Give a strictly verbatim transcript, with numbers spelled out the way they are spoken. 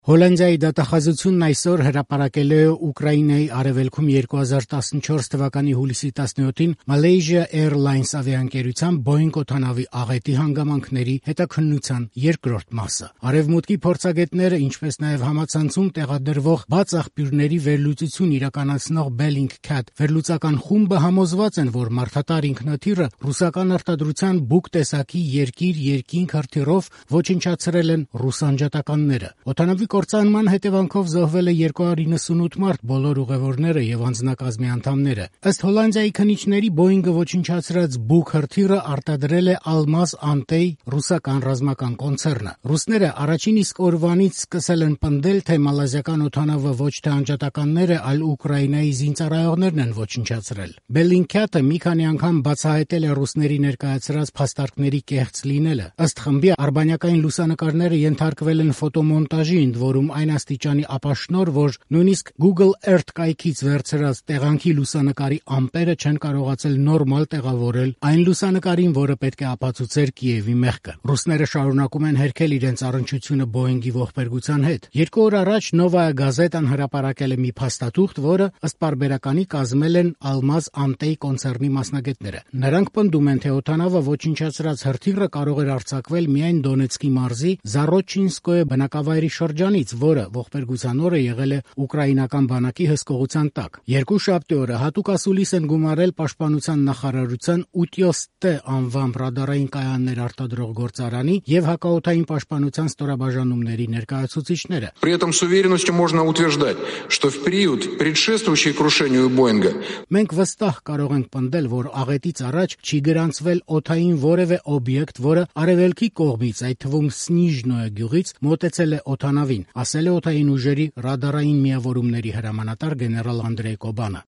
Հոլանդիայի դատախազությունն այսօր հրապարակել է Ուկրաինայի արևելքում երկու հազար տասնչորս թվականի հուլիսի տասնյոթին Malaysia Airlines ավիաընկերության Boeing օդանավի աղետի հանգամանքների հետաքննության երկրորդ մասը։ Արևմուտքի փորձագետները, ինչպես նաև համացանցում տեղադրվող բաց աղբյուրների վերլուծություն իրականացնող Bellingcat վերլուծական խումբը համոզված են, որ մարդատար ինքնաթիռը ռուսական արտադրության Buk տեսակի երկիր-երկինք հրթիռով ոչնչացրել են ռուս անջատականները։ Օդանավի կործանման հետևանքով զոհվել է երկու հարյուր իննսունութ մարդ, բոլոր ուղևորները եւ անձնակազմի անդամները։ Ըստ Հոլանդիայի քննիչների, Boeing-ը ոչնչացրած Buk հրթիռը արտադրել է Almaz Antey ռուսական ռազմական կոնցեռնը։ Ռուսները առաջին իսկ օրվանից սկսել են պնդել, թե մալազիական օդանավը ոչ թե անջատականները, այլ Ուկրաինայի զինծառայողներն են ոչնչացրել։ Bellingcat-ը մի քանի անգամ բացահայտել է ռուսների ներկայացրած փաստարկների կեղծ լինելը։ Ըստ խմբի, արբանյակային լուսանկարները ենթարկվել են ֆոտոմոնտաժի, ընդ որում այն աստիճանի ապաշնոր, որ նույնիսկ Google Earth կայքից վերցրած տեղանքի լուսանկարի ամպերը չեն կարողացել նորմալ տեղավորել այն լուսանկարին, որը պետք է ապացուցեր Կիևի մեղքը։ Ռուսները շարունակում են հերքել իրենց առնչությունը Boeing-ի ողբերգության հետ։ Երկու օր առաջ Novaya Gazeta-ն հրապարակել է մի փաստաթուղթ, որը ըստ պարբերականի կազմել են Almaz Antey կոնցեռնի մասնագետները։ Նրանք պնդում են, թե օդանավը ոչնչացրած հրթիռը կարող էր արձակվել միայն Դոնեցկի մարզի Զառոչինսկոյե բնակավայրի շրջանից, որը ողբերգության օրը եղել է ուկրաինական բանակի հսկողության տակ։ Երկուշաբթի օրը հատուկ ասուլիս են գումարել Պաշտպանության նախարարության Ուտյոստե անվամբ ռադարային կայաններ արտադրող գործարանի եւ հակաօդային պաշտպանության ստորաբաժանումների ներկայացուցիչները։ При этом с уверенностью можно утверждать, что в период, предшествующий крушению Боинга, մենք վստահ կարող ենք պնդել, որ աղետից առաջ չի գրանցվել օդային որևէ օբյեկտ, որը արևելքի կողմից, այդ թվում Սնիժնոյե գյուղից, մոտեցել է օդանավին, ասել է օդային ուժերի ռադարային միավորումների հրամանատար գեներալ Անդրեյ Կոբանը։